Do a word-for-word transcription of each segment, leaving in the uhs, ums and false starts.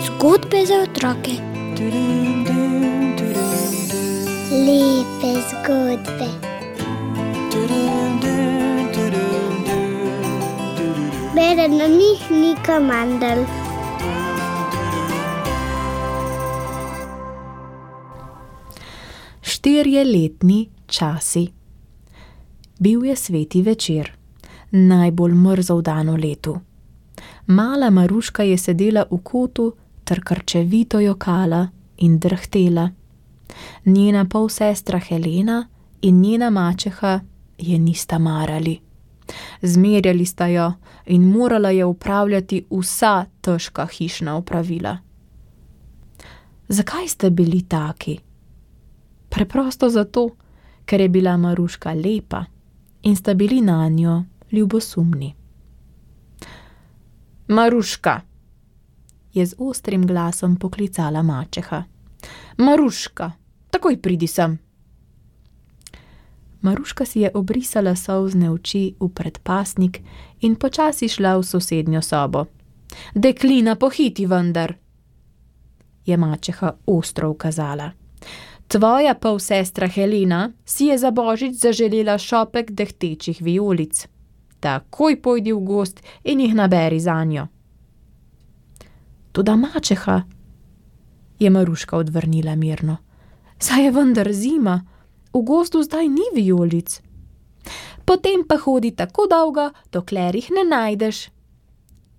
Zgodbe za otroke. Lepe zgodbe. Bere na njih Nika Mandl. Štirjeletni časi. Bil je sveti večer, najbolj mrzel dan v letu. Mala Maruška je sedela v kotu ter krčevito jokala in drhtela. Njena polsestra Helena in njena mačeha je nista marali. Zmerjali sta jo in morala je upravljati vsa težka hišna opravila. Zakaj sta bili taki? Preprosto zato, ker je bila Maruška lepa in sta bili nanjo ljubosumni. Maruška, je z ostrim glasom poklicala mačeha. Maruška, takoj pridi sem. Maruška si je obrisala solzne oči v predpasnik in počasi šla v sosednjo sobo. Deklina, pohiti vendar, je mačeha ostro ukazala. Tvoja polsestra Helena si je za božič zaželela šopek dehtečih vijolic. Takoj pojdi v gozd in jih naberi zanjo. Toda mačeha, je Maruška odvrnila mirno. Saj je vendar zima, v gozdu zdaj ni vijolic. Potem pa hodi tako dolgo, dokler jih ne najdeš.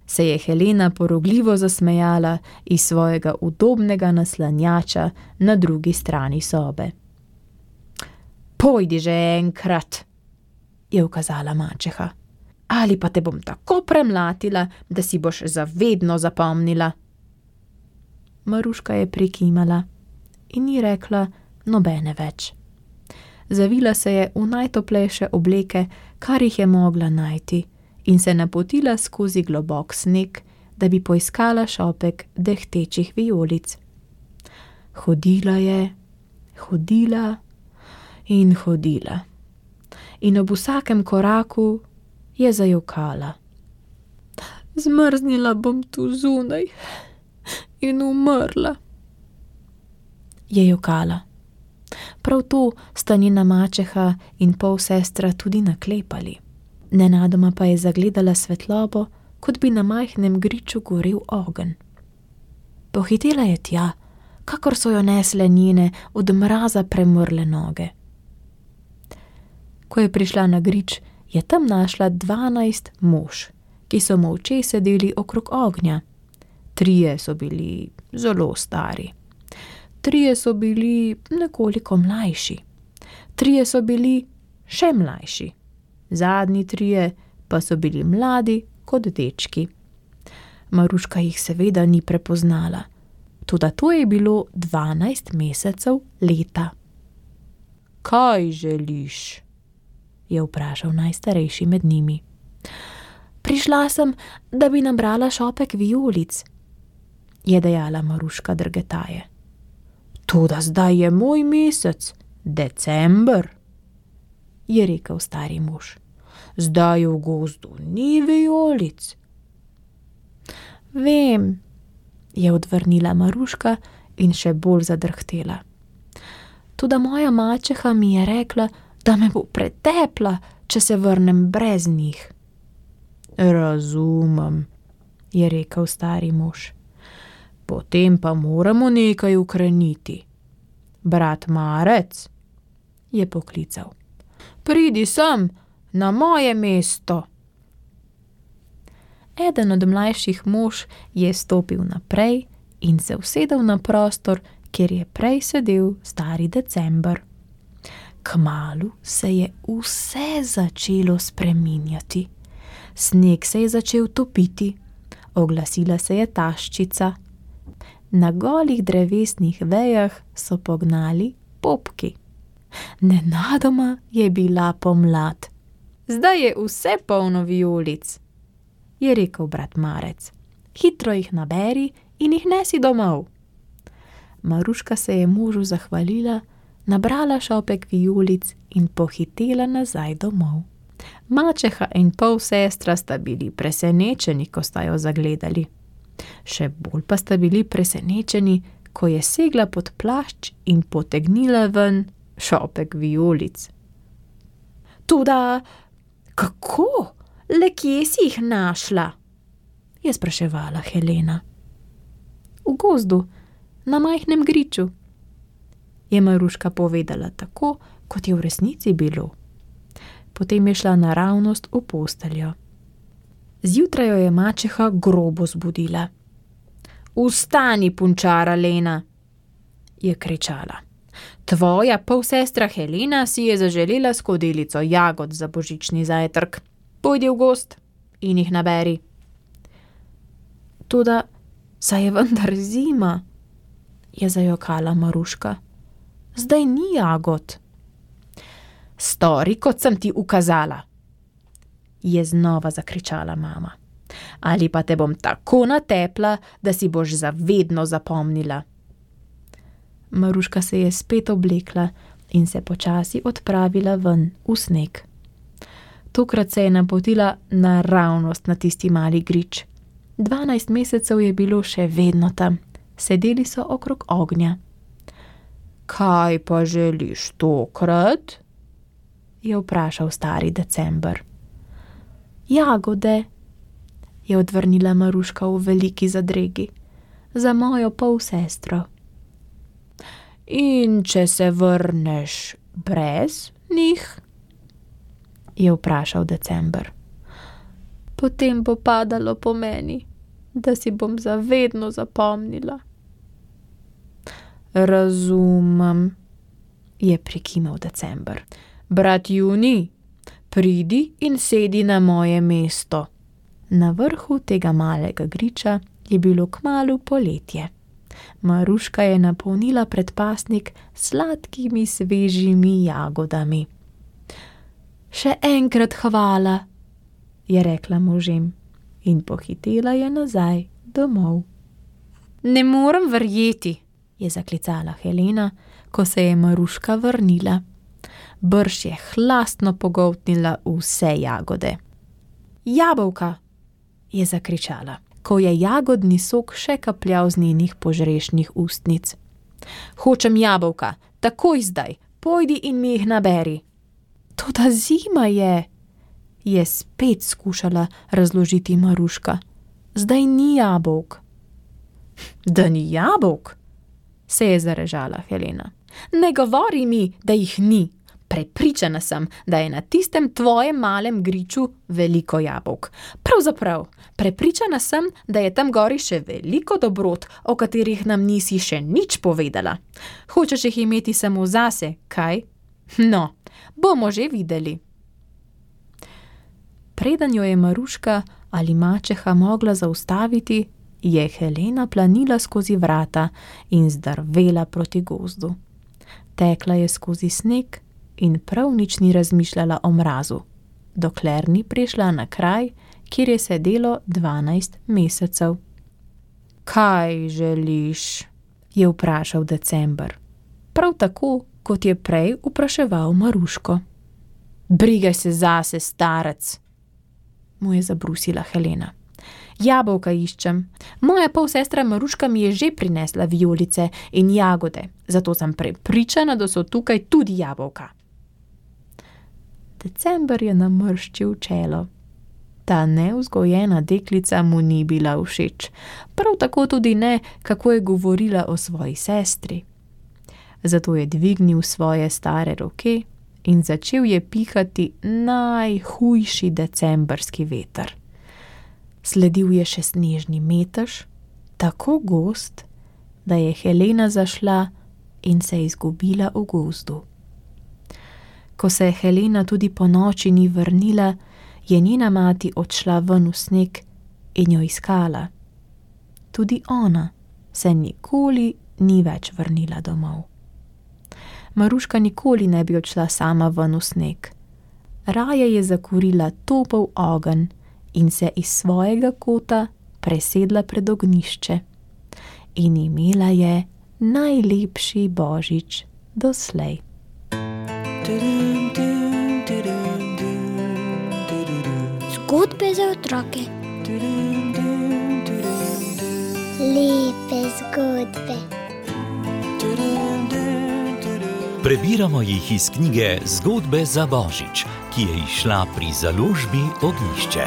Se je Helena porogljivo zasmejala iz svojega udobnega naslanjača na drugi strani sobe. Pojdi že enkrat, je ukazala mačeha. Ali pa te bom tako premlatila, da si boš zavedno zapomnila. Maruška je prikimala in ni rekla nobene več. Zavila se je v najtoplejše obleke, kar jih je mogla najti, in se napotila skozi globok sneg, da bi poiskala šopek dehtečih vijolic. Hodila je, hodila in hodila. In ob vsakem koraku je zajokala. Zmrznila bom tu zunaj in umrla, je jokala. Prav to sta njena mačeha in polsestra tudi naklepali. Nenadoma pa je zagledala svetlobo, kot bi na majhnem griču gorel ogenj. Pohitela je tja, kakor so jo nesle njene od mraza premrle noge. Ko je prišla na grič, je tam našla dvanajst mož, ki so molče sedeli okrog ognja. Trije so bili zelo stari. Trije so bili nekoliko mlajši. Trije so bili še mlajši. Zadnji trije pa so bili mladi kot dečki. Maruška jih seveda ni prepoznala, toda to je bilo dvanajst mesecev leta. Kaj želiš? Je vprašal najstarejši med njimi. Prišla sem, da bi nabrala šopek vijolic, je dejala Maruška drgetaje. Toda zdaj je moj mesec, december, je rekel stari mož. Zdaj v gozdu ni vijolic. Vem, je odvrnila Maruška in še bolj zadrhtela. Toda moja mačeha mi je rekla, da me bo pretepla, če se vrnem brez njih. Razumem, je rekel stari mož. Potem pa moramo nekaj ukreniti. Brat Marec, je poklical. Pridi sem, na moje mesto. Eden od mlajših mož je stopil naprej in se usedel na prostor, kjer je prej sedel stari december. Kmalu se je vse začelo spreminjati. Sneg se je začel topiti, oglasila se je taščica. Na golih drevesnih vejah so pognali popki. Nenadoma je bila pomlad. Zdaj je vse polno vijolic, je rekel brat Marec. Hitro jih naberi in jih nesi domov. Maruška se je možu zahvalila, nabrala šopek vijolic in pohitela nazaj domov. Mačeha in polsestra sta bili presenečeni, ko sta jo zagledali. Še bolj pa sta bili presenečeni, ko je segla pod plašč in potegnila ven šopek vijolic. Toda, kako? Le kje si jih našla? Je spraševala Helena. V gozdu, na majhnem griču, je Maruška povedala tako, kot je v resnici bilo. Potem je šla naravnost v posteljo. Zjutraj jo je mačeha grobo zbudila. Vstani, punčara Lena, je kričala. Tvoja polsestra Helena si je zaželela skodelico jagod za božični zajtrk. Pojdi v gozd in jih naberi. Toda, saj je vendar zima, je zajokala Maruška. Zdaj ni jagod. Stori, kot sem ti ukazala, je znova zakričala mama. Ali pa te bom tako natepla, da si boš zavedno zapomnila. Maruška se je spet oblekla in se počasi odpravila ven v sneg. Tokrat se je napotila naravnost na tisti mali grič. Dvanajst mesecev je bilo še vedno tam. Sedeli so okrog ognja. Kaj pa želiš tokrat? Je vprašal stari December. Jagode, je odvrnila Maruška v veliki zadregi. Za mojo polsestro. In če se vrneš brez njih? Je vprašal December. Potem bo padalo po meni, da si bom zavedno zapomnila. Razumem, je prikimal December. Brat Juni, pridi in sedi na moje mesto. Na vrhu tega malega griča je bilo kmalu poletje. Maruška je napolnila predpasnik s sladkimi svežimi jagodami. Še enkrat hvala, je rekla možem in pohitela je nazaj domov. Ne morem verjeti, je zaklicala Helena, ko se je Maruška vrnila. Brž je hlastno pogoltnila vse jagode. Jabolka, je zakričala, ko je jagodni sok še kapljal z njenih požrešnih ustnic. Hočem jabolka, takoj zdaj, pojdi in mi jih naberi. Toda zima je, je spet skušala razložiti Maruška. Zdaj ni jabolk. Da ni jabolk? Se je zarežala Helena. Ne govori mi, da jih ni. Prepričana sem, da je na tistem tvojem malem griču veliko jabolk. Pravzaprav, prepričana sem, da je tam gori še veliko dobrot, o katerih nam nisi še nič povedala. Hočeš jih imeti samo zase, kaj? No, bomo že videli. Preden jo je Maruška ali mačeha mogla zaustaviti, je Helena planila skozi vrata in zdrvela proti gozdu. Tekla je skozi sneg in prav nič ni razmišljala o mrazu, dokler ni prišla na kraj, kjer je sedelo dvanajst mesecev. Kaj želiš? Je vprašal December. Prav tako, kot je prej vpraševal Maruško. Brigaj se zase, starec, mu je zabrusila Helena. Jabolka iščem. Moja polsestra Maruška mi je že prinesla vijolice in jagode, zato sem prepričana, da so tukaj tudi jabolka. December je namrščil čelo. Ta nevzgojena deklica mu ni bila všeč, prav tako tudi ne, kako je govorila o svoji sestri. Zato je dvignil svoje stare roke in začel je pihati najhujši decembrski veter. Sledil je še snežni metež, tako gost, da je Helena zašla in se izgubila v gozdu. Ko se je Helena tudi po noči ni vrnila, je njena mati odšla ven v sneg in jo iskala. Tudi ona se nikoli ni več vrnila domov. Maruška nikoli ne bi odšla sama ven v sneg. Raje je zakurila topel ogenj in se iz svojega kota presedla pred ognjišče. In imela je najlepši božič doslej. Zgodbe za otroke. Lepe zgodbe. Prebiramo jih iz knjige Zgodbe za Božič, ki je izšla pri založbi Ognjišče.